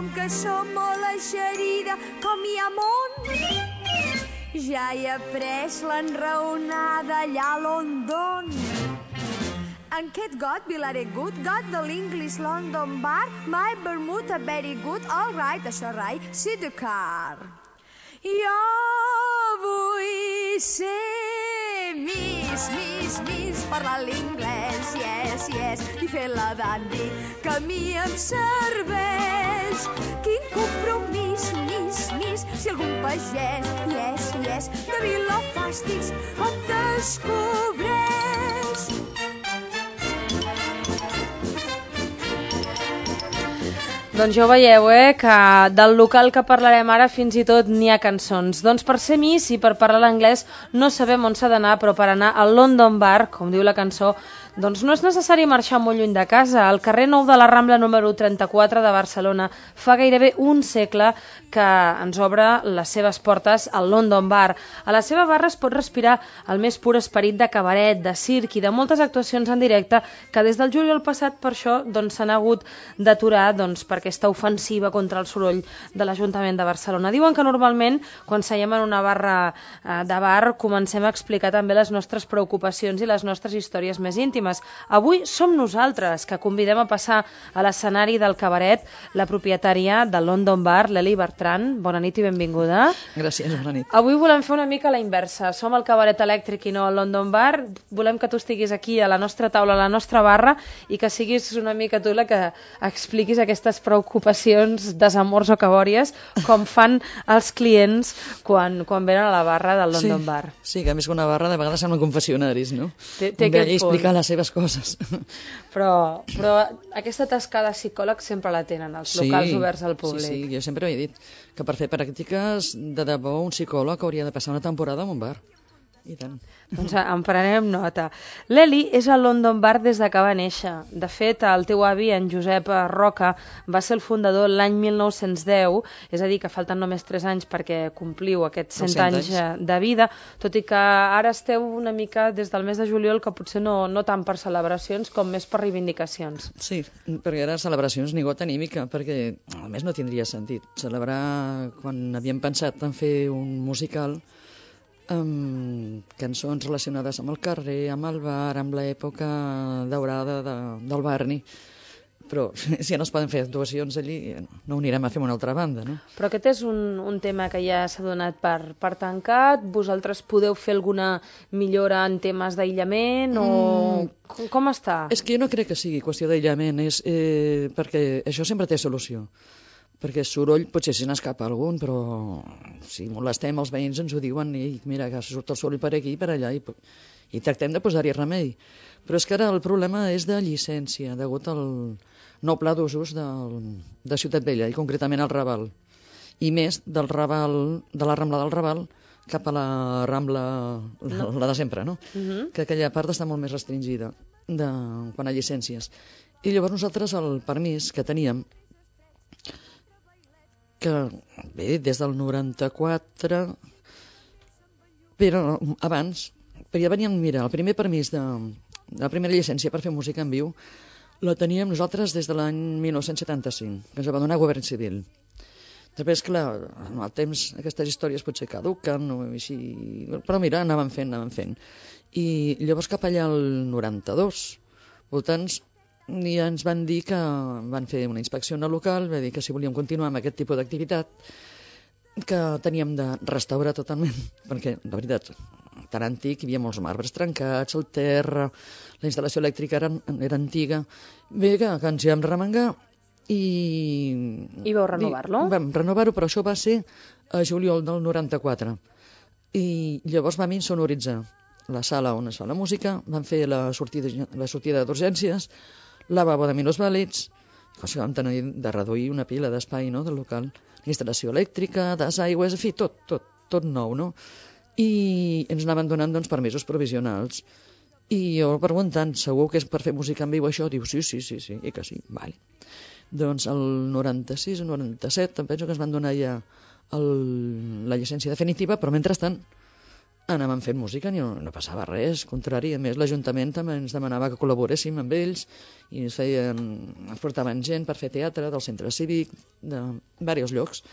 com que som molt eixerida, com hi ha món. Ja he après l'enraonada allà a London. And Kate got Vilare good, got the l'English London bar, my Bermuda very good, all right, això rai, see the car. Jo vull ser Miss, parlar l'inglès, yes, i fer la dandy, que a mi em serveix. Quin compromís, Miss, si algun pagès, yes, de Vilafàstics em descobreix. Doncs ja ho veieu, que del local que parlarem ara fins i tot n'hi ha cançons. Doncs per ser Miss i per parlar l'anglès no sabem on s'ha d'anar, però per anar al London Bar, com diu la cançó, doncs no és necessari marxar molt lluny de casa. Al carrer Nou de la Rambla número 34 de Barcelona fa gairebé un segle que ens obre les seves portes al London Bar. A la seva barra es pot respirar el més pur esperit de cabaret, de circ i de moltes actuacions en directe que des del juliol passat per això s'han hagut d'aturar per aquesta ofensiva contra el soroll de l'Ajuntament de Barcelona. Diuen que normalment quan seiem en una barra de bar comencem a explicar també les nostres preocupacions i les nostres històries més íntimes. Avui som nosaltres que convidem a passar a l'escenari del cabaret la propietària del London Bar, l'Eli Bertran. Bona nit i benvinguda. Gràcies, bona nit. Avui volem fer una mica la inversa. Som al cabaret elèctric i no al London Bar. Volem que tu estiguis aquí a la nostra taula, a la nostra barra, i que siguis una mica tu la que expliquis aquestes preocupacions, desamors o cabòries, com fan els clients quan venen a la barra del London Bar. Sí, que a més que una barra de vegades sembla confessionaris, no? Té aquest punt. Explicar les seves coses. Però aquesta tasca de psicòleg sempre la tenen els locals oberts al públic. Sí, jo sempre he dit que per fer pràctiques de debò un psicòleg hauria de passar una temporada en un bar. I tant. Doncs en prenem nota. L'Eli és al London Bar des de que va néixer. De fet, el teu avi, en Josep Roca, va ser el fundador l'any 1910, és a dir, que falten només 3 anys perquè compliu aquests 100 anys de vida, tot i que ara esteu una mica des del mes de juliol, que potser no tant per celebracions com més per reivindicacions. Sí, perquè ara celebracions ni gota ni mica, perquè a més no tindria sentit. Celebrar quan havíem pensat en fer un musical amb cançons relacionades amb el carrer, amb el bar, amb l'època daurada del Barney. Però si ja no es poden fer actuacions allí, no ho anirem a fer a una altra banda, no? Però aquest és un tema que ja s'ha donat per tancat. Vosaltres podeu fer alguna millora en temes d'aïllament o com està? És que jo no crec que sigui qüestió d'aïllament, perquè això sempre té solució. Perquè soroll potser se n'escapa algun, però si molestem els veïns ens ho diuen i mira que surt el soroll per aquí i per allà i tractem de posar-hi remei. Però és que ara el problema és de llicència, degut al nou pla d'usos de Ciutat Vella i concretament al Raval. I més del Raval, de la Rambla del Raval cap a la Rambla, la de sempre, no? Que aquella part està molt més restringida quan a llicències. I llavors nosaltres el permís que teníem, que bé, des del 94, però abans, però ja veníem, mira, el primer permís la primera llicència per fer música en viu la teníem nosaltres des de l'any 1975, que ens va donar Govern Civil. Després, clar, amb el temps aquestes històries potser caduquen, però mira, anàvem fent. I llavors cap allà al 92, voltants, i ens van dir que van fer una inspecció en el local, va dir que si volíem continuar amb aquest tipus d'activitat que teníem de restaurar totalment, perquè la veritat tan antic, hi havia molts marbres trencats, el terra, la instal·lació elèctrica era antiga, bé que ens hi vam remengar I vau renovar-lo? Vam renovar-ho, però això va ser a juliol del 94 i llavors vam insonoritzar la sala on es fa la música, vam fer la sortida d'urgències, lavabo de minusvàlids, cosa que vam tenir de reduir una pila d'espai, no, del local, instal·lació elèctrica, desaigües, en fi, tot nou, no? I ens anaven donant permisos provisionals. I jo preguntant, segur que és per fer música en viu això? Diu, sí, i que sí, vale. Doncs el 96 o 97 em penso que ens van donar ja la llicència definitiva, però mentrestant anàvem fent música i no passava res, contrari, a més l'Ajuntament també ens demanava que col·laboréssim amb ells i ens portaven gent per fer teatre del centre cívic, de diversos llocs.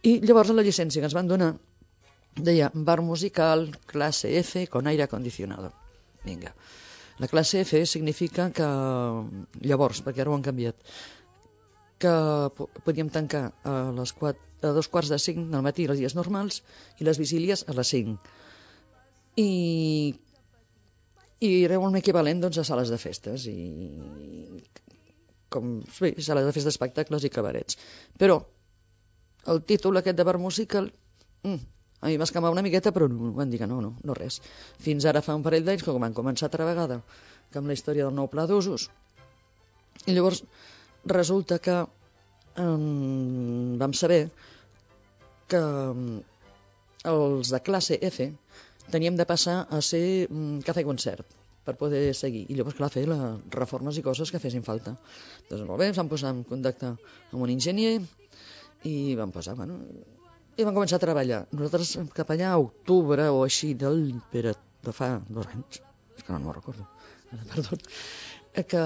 I llavors la llicència que ens van donar deia bar musical classe F con aire acondicionado. Vinga. La classe F significa que, llavors, perquè ara ho han canviat, que podíem tancar a 2:45 del matí els dies normals i les vigílies a les 5. I era un equivalent doncs, a sales de festes sales de festes d'espectacles i cabarets. Però el títol aquest de bar musical a mi m'escamava una miqueta, però van dir que no res. Fins ara fa un parell d'anys que van començar altra vegada que amb la història del nou pla d'usos. I llavors resulta que vam saber que els de classe F teníem de passar a ser cafè-concert per poder seguir. I llavors, clar, fer les reformes i coses que fessin falta. Doncs molt bé, ens vam posar en contacte amb un enginyer i vam posar, i vam començar a treballar. Nosaltres cap allà a octubre o així de fa 2 anys, és que no me'n recordo, perdó, que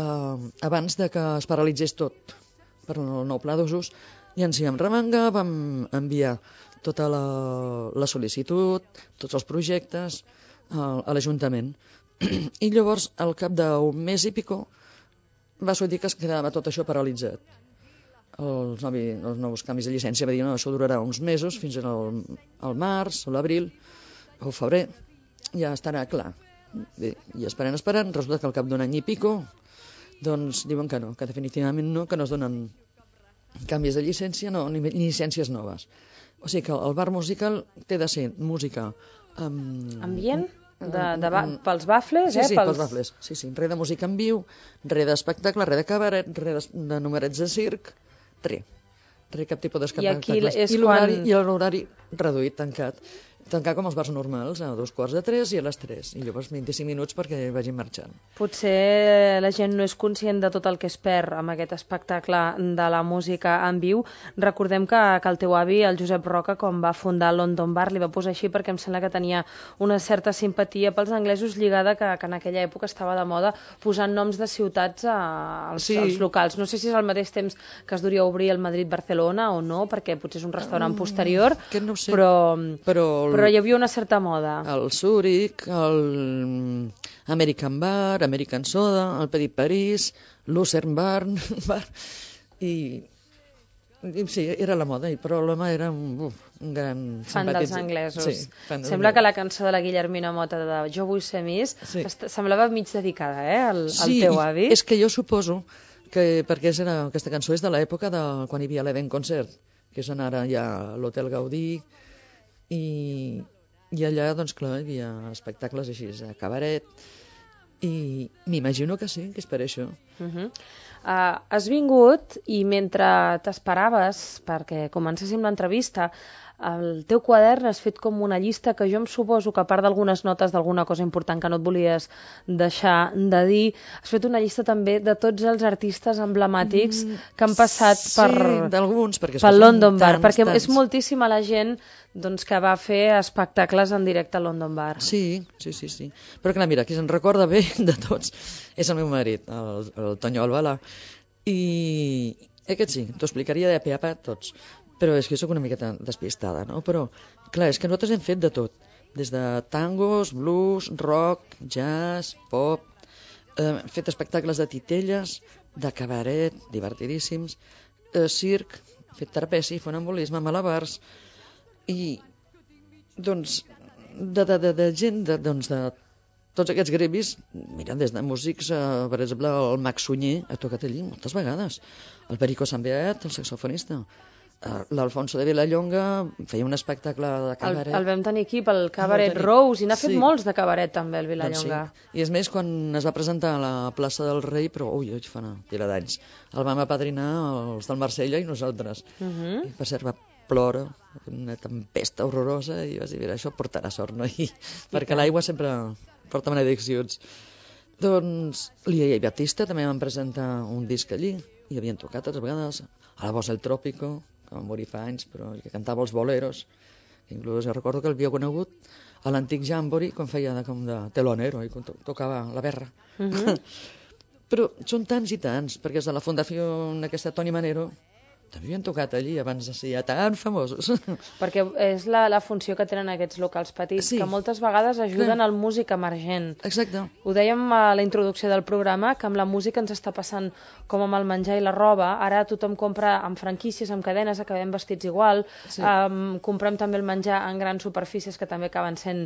abans de que es paralitzés tot per el nou pla d'usos, ja ens hi vam remengar, vam enviar tota la sol·licitud, tots els projectes a l'Ajuntament. I llavors, al cap d'un mes i pico, va sortir que es quedava tot això paralitzat. Els nous canvis de llicència va dir, no, això durarà uns mesos, fins al març, o l'abril, o el febrer, ja estarà clar. Bé, i esperant, resulta que al cap d'un any i pico, doncs diuen que no, que definitivament no, que no es donen canvis de llicència, no, ni llicències noves. O sigui que el bar musical té de ser música... ambient? Pels bafles, Sí, pels bafles. Sí, res de música en viu, res d'espectacle, res de cabaret, res de numerets de circ, res, cap tipus d'espectacles. I l'horari reduït, tancar com els bars normals, a 2:45 i a les 3, i llavors 25 minuts perquè vagin marxant. Potser la gent no és conscient de tot el que es perd amb aquest espectacle de la música en viu. Recordem que el teu avi, el Josep Roca, quan va fundar el London Bar, li va posar així perquè em sembla que tenia una certa simpatia pels anglesos lligada que en aquella època estava de moda posant noms de ciutats als locals. No sé si és al mateix temps que es duria obrir el Madrid-Barcelona o no, perquè potser és un restaurant posterior, no sé, però hi havia una certa moda. El Zurich, el American Bar, American Soda, el Petit París, Lucerne Bar, i sí, era la moda, però l'home era un gran fan dels anglesos. Sí, sembla que la cançó de la Guillermina Mota de Jo vull ser Miss semblava mig dedicada al teu avi. Sí, és que jo suposo que perquè aquesta cançó és de l'època de quan hi havia l'Event Concert, que és ara ja a l'Hotel Gaudí, i allà, doncs clar, hi havia espectacles així, a cabaret, i m'imagino que sí, que és per això. Has vingut i mentre t'esperaves perquè comencéssim l'entrevista, el teu quadern has fet com una llista que jo em suposo que a part d'algunes notes d'alguna cosa important que no et volies deixar de dir, has fet una llista també de tots els artistes emblemàtics que han passat pel London Bar, perquè és moltíssima la gent doncs, que va fer espectacles en directe al London Bar. Sí. Però clar, mira, qui se'n recorda bé de tots és el meu marit, el Tonyo Albalà, i aquest sí, t'ho explicaria de pe a pa tots. Però és que jo soc una miqueta despistada, no? Però, clar, és que nosaltres hem fet de tot. Des de tangos, blues, rock, jazz, pop... Hem fet espectacles de titelles, de cabaret, divertidíssims, circ, fet trapeci, funambulisme, malabars... I, doncs, de gent, de tots aquests grevis, mira, des de músics, per exemple, el Max Sunyer ha tocat allí moltes vegades, el Perico Sambeat, el saxofonista, l'Alfonso de Vilallonga feia un espectacle de cabaret. El vam tenir aquí pel Cabaret Rose, i n'ha fet molts de cabaret també, el Vilallonga. Doncs sí. I és més, quan es va presentar a la plaça del Rei, però fa una pila d'anys, el vam apadrinar els del Marsella i nosaltres. I per cert, va plora, una tempesta horrorosa, i vas dir, mira, això portarà sort, no? Perquè l'aigua sempre porta benediccions. Doncs l'Ia i Batista també van presentar un disc allí, i havien tocat altres vegades, a la Voz del Trópico, que va morir fa anys, però que cantava els boleros, que inclús recordo que l'havia conegut a l'antic Jamboree, quan feia com de telonero, i quan tocava la berra. Però són tants i tants, perquè és de la Fundació aquesta Toni Manero, també havien tocat allí abans de ser ja tan famosos. Perquè és la funció que tenen aquests locals petits, que moltes vegades ajuden al músic emergent. Exacte. Ho dèiem a la introducció del programa, que amb la música ens està passant com amb el menjar i la roba. Ara tothom compra amb franquícies, amb cadenes, acabem vestits igual. Comprem també el menjar en grans superfícies que també acaben sent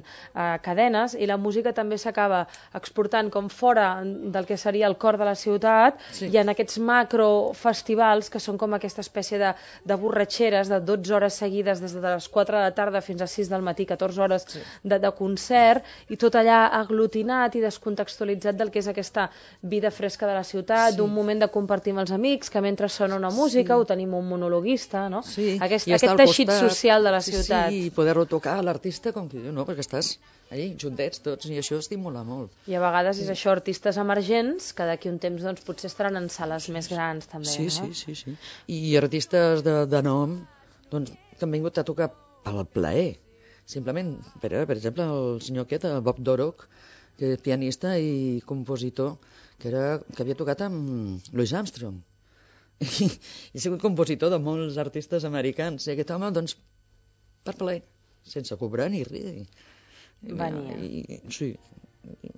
cadenes, i la música també s'acaba exportant com fora del que seria el cor de la ciutat, i en aquests macrofestivals que són com aquesta espècie de borratxeres de 12 hores seguides des de les 4 de la tarda fins a 6 del matí, 14 hores de concert, i tot allà aglutinat i descontextualitzat del que és aquesta vida fresca de la ciutat, d'un moment de compartir amb els amics, que mentre sona una música ho tenim un monologuista, no? Aquest teixit social de la ciutat. Sí, i poder-lo tocar a l'artista com que diu, no, perquè estàs allí juntets tots, i això estimula molt. I a vegades és això, artistes emergents que d'aquí un temps doncs, potser estaran en sales més grans també, no? Sí. I artistes de nom doncs, que han vingut a tocar pel plaer. Simplement, per exemple, el senyor aquest, Bob Dorough, que és pianista i compositor, que havia tocat amb Louis Armstrong. I ha sigut compositor de molts artistes americans. I aquest home, doncs, per plaer, sense cobrar ni res. Sí,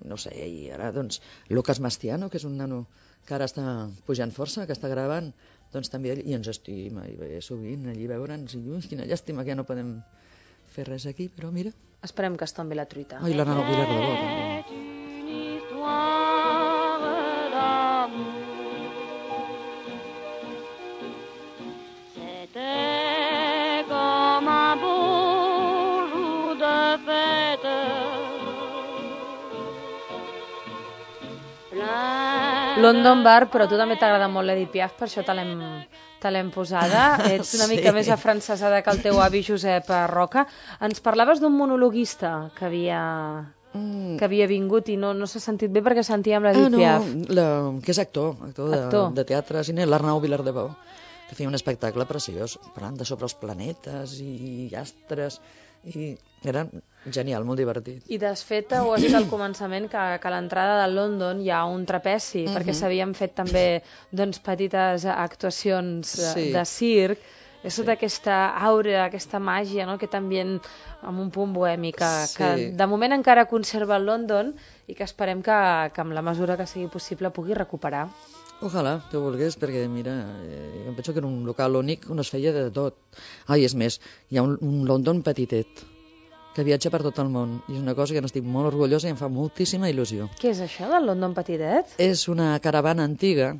no sé, i ara, doncs, Lucas Mastiano, que és un nano que ara està pujant força, que està gravant, doncs també i ens estima, i ve sovint allí veure'ns, i quina llàstima que ja no podem fer res aquí, però mira. Esperem que es tombi la truita. I l'Anna Vilar de Bo, també. London Bar, però a tu també t'agrada molt l'Edith Piaf, per això te l'hem posada. Ets una mica més afrancesada que el teu avi Josep Roca. Ens parlaves d'un monologuista que havia vingut i no s'ha sentit bé perquè sentíem l'Edith Piaf. Que és actor de teatre, cine, l'Arnau Vilar de Bo, que feia un espectacle preciós, parlant de sobre els planetes i astres, i era genial, molt divertit. I desfet, ho has dit al començament, que a l'entrada de London hi ha un trapezi, perquè s'havien fet també petites actuacions de circ. És tota aquesta aura, aquesta màgia, aquest ambient amb un punt bohemi que de moment encara conserva el London i que esperem que amb la mesura que sigui possible pugui recuperar. Ojalà, que volgués, perquè mira, em penso que era un local únic on es feia de tot. És més, hi ha un London petitet que viatja per tot el món, i és una cosa que n'estic molt orgullosa i em fa moltíssima il·lusió. Què és això del London petitet? És una caravana antiga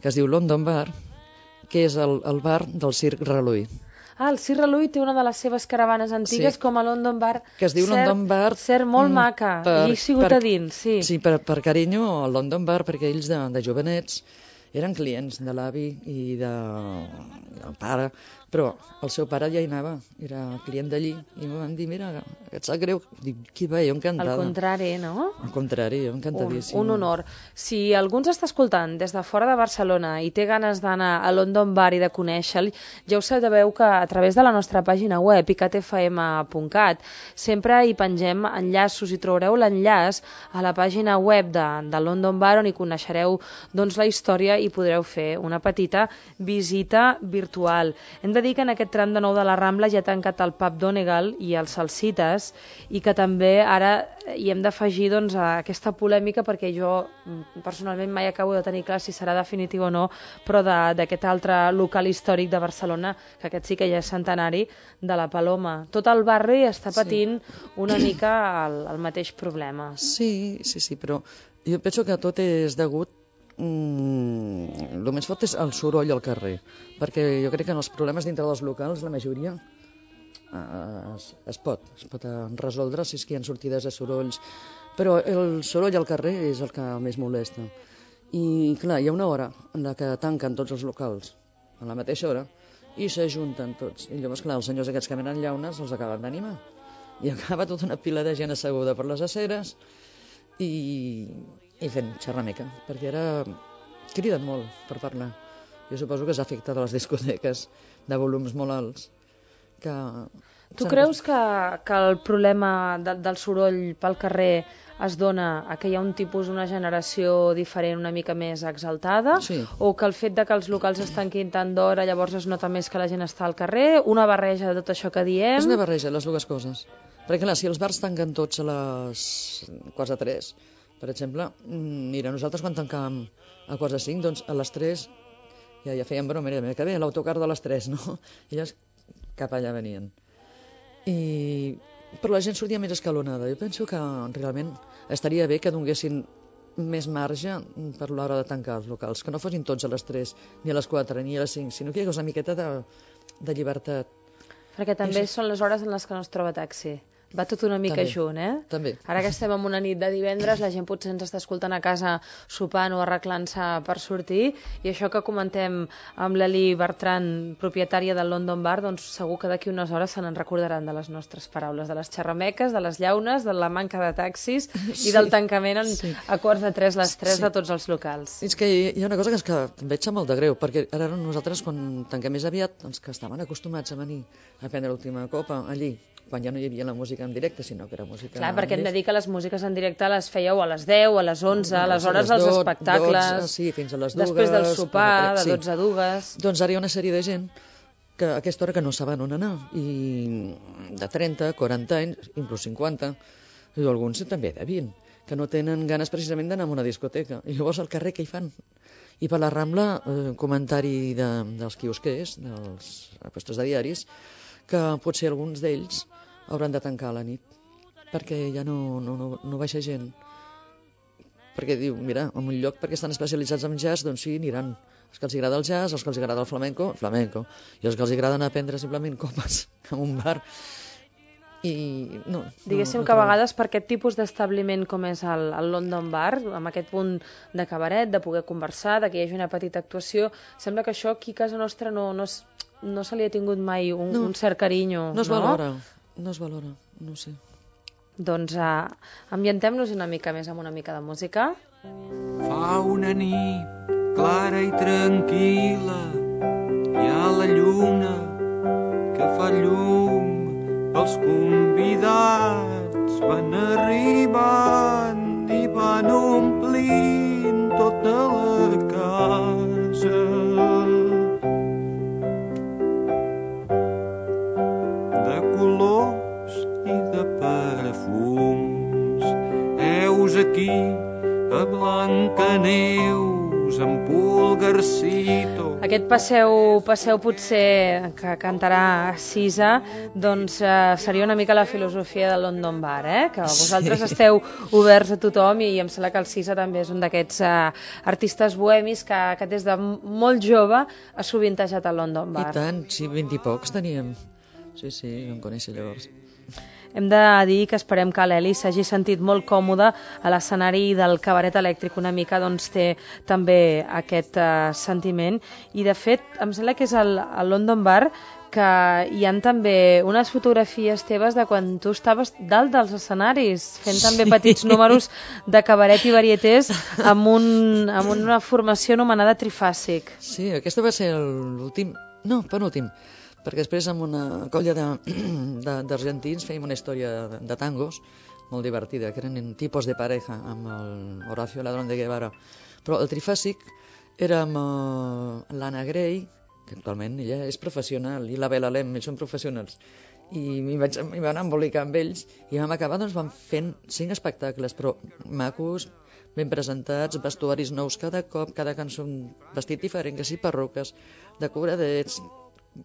que es diu London Bar, que és el bar del Circ Reluí. El Circ Reluí té una de les seves caravanes antigues com a London Bar. Que es diu London Bar. Cert, molt maca. I he sigut a dins, sí. Sí, per carinyo, el London Bar, perquè ells de jovenets eren clients de l'avi i del pare, però el seu pare ja hi anava, era client d'allí, i em van dir, mira, et sap greu? Dic, qui va, jo encantada. Al contrari, no? Al contrari, jo encantadíssim. Un honor. Si algú ens està escoltant des de fora de Barcelona i té ganes d'anar a London Bar i de conèixer-lo, ja ho sabeu que a través de la nostra pàgina web, icatfm.cat, sempre hi pengem enllaços i trobareu l'enllaç a la pàgina web de London Bar, on hi coneixereu la història i podreu fer una petita visita virtual. Hem de dir que en aquest tram de nou de la Rambla ja ha tancat el pub Donegal i els Salsites, i que també ara hi hem d'afegir aquesta polèmica, perquè jo personalment mai acabo de tenir clar si serà definitiu o no, però d'aquest altre local històric de Barcelona, que aquest sí que ja és centenari, de la Paloma. Tot el barri està patint una mica el mateix problema. Sí, però jo penso que tot és degut el més fort és el soroll al carrer, perquè jo crec que en els problemes dintre dels locals la majoria es pot resoldre si és que hi ha sortides de sorolls, però el soroll al carrer és el que més molesta. I clar, hi ha una hora en la que tanquen tots els locals a la mateixa hora i s'ajunten tots, i llavors clar, els senyors aquests que venen llaunes els acaben d'animar i acaba tota una pila de gent asseguda per les aceres i fent xerrameca, perquè ara criden molt per parlar. Jo suposo que s'ha afectat a les discoteques de volums molt alts. Tu creus que el problema del soroll pel carrer es dona a que hi ha un tipus, una generació diferent una mica més exaltada? Sí. O que el fet de que els locals es tanquin tant d'hora llavors es nota més que la gent està al carrer? Una barreja de tot això que diem? És una barreja, les dues coses. Perquè clar, si els bars tanquen tots a les 4:03, per exemple, mira, nosaltres quan tancàvem a 4:05, doncs a les 3 ja fèiem broma, mira que bé, l'autocar de les 3, no? I llavors cap allà venien. Però la gent sortia més escalonada. Jo penso que realment estaria bé que donessin més marge per l'hora de tancar els locals, que no fossin tots a les 3, ni a les 4, ni a les 5, sinó que hi hagués una miqueta de llibertat. Perquè també són les hores en les que no es troba taxi. Va tot una mica junt, eh? També. Ara que estem en una nit de divendres, la gent potser ens està escoltant a casa sopant o arreglant-se per sortir, i això que comentem amb l'Eli Bertran, propietària del London Bar, doncs segur que d'aquí unes hores se n'en recordaran de les nostres paraules, de les xerrameques, de les llaunes, de la manca de taxis i del tancament a 2:45 les 3 de tots els locals. És que hi ha una cosa que em veig molt de greu, perquè ara nosaltres quan tanquem més aviat, els que estaven acostumats a venir a prendre l'última copa allí, quan ja no hi havia la música en directe, sinó que era música... Clar, perquè hem de dir que les músiques en directe les fèieu a les 10, a les 11, a les hores dels espectacles... Sí, fins a les 2... Després del sopar, de 12 a 2... Doncs ara hi ha una sèrie de gent que a aquesta hora que no saben on anar, i de 30, 40 anys, inclús 50, i alguns també de 20, que no tenen ganes precisament d'anar a una discoteca. I llavors al carrer què hi fan? I per la Rambla, comentari dels quiosquers, dels puestos de diaris, que potser alguns d'ells hauran de tancar a la nit, perquè ja no baixa gent. Perquè diu, mira, en un lloc perquè estan especialitzats en jazz, doncs sí, aniran els que els agrada el jazz, els que els agrada el flamenco, i els que els agrada anar a prendre simplement copes en un bar. Diguéssim que a vegades per aquest tipus d'establiment com és el London Bar, amb aquest punt de cabaret, de poder conversar, de que hi hagi una petita actuació, sembla que això aquí a casa nostra no se li ha tingut mai un cert carinyo. No es valora, no sé. Doncs ambientem-nos una mica més amb una mica de música. Fa una nit clara i tranquil·la, hi ha la lluna que fa llum, els convidats van arribant i van omplint tota la casa. De colors i de perfums, heus aquí a Blancaneus, en Pulgarcito. Aquest passeu potser que cantarà Sisa, doncs seria una mica la filosofia del London Bar, que vosaltres esteu oberts a tothom, i em sembla que el Sisa també és un d'aquests artistes bohemis que des de molt jove ha sovintejat al London Bar. I tant, sí, 20 i pocs teníem. Sí, em coneixo llavors. Hem de dir que esperem que l'Eli s'hagi sentit molt còmode a l'escenari del Cabaret Elèctric, una mica doncs té també aquest sentiment, i de fet em sembla que és el London Bar que hi ha també unes fotografies teves de quan tu estaves dalt dels escenaris, fent també petits números de cabaret i varietés amb una formació anomenada Trifàsic. Sí, aquesta va ser penúltim, perquè després amb una colla d'argentins fèiem una història de tangos molt divertida, que eren tipus de pareja amb el Horacio Ladrón de Guevara. Però el Trifàsic era amb l'Anna Grey, que actualment ella és professional, i la Bela Lem, ells són professionals. I m'hi vaig anar a embolicar amb ells, i vam acabar vam fent 5 espectacles, però macos, ben presentats, vestuaris nous cada cop, cada cançó un vestit diferent, que sí, perruques, decoradets,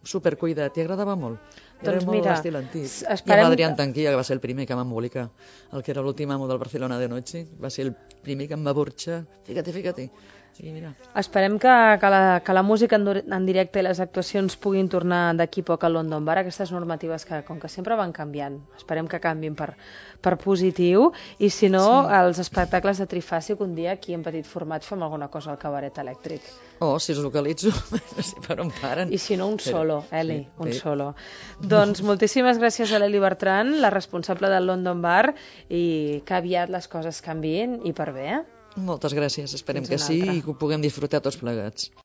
supercuidat, i agradava molt. Era molt estil antic. I amb Adrián Tanquilla, que va ser el primer que va embolicar, el que era l'últim amo del Barcelona de Noche, va ser el primer que em va burxar. Fíjate. I mira. Esperem que la música en directe i les actuacions puguin tornar d'aquí poc a London Bar, aquestes normatives que, com que sempre van canviant, esperem que canviïn per positiu, i si no, els espectacles de Trifàsic un dia aquí en petit format fem alguna cosa al Cabaret Elèctric. Si els localitzo, no sé per on paren. I si no, un solo, Eli, un solo. Doncs moltíssimes gràcies a l'Eli Bertran, la responsable del London Bar, i que aviat les coses canviïn i per bé, Moltes gràcies, esperem que sí i que ho puguem disfrutar tots plegats.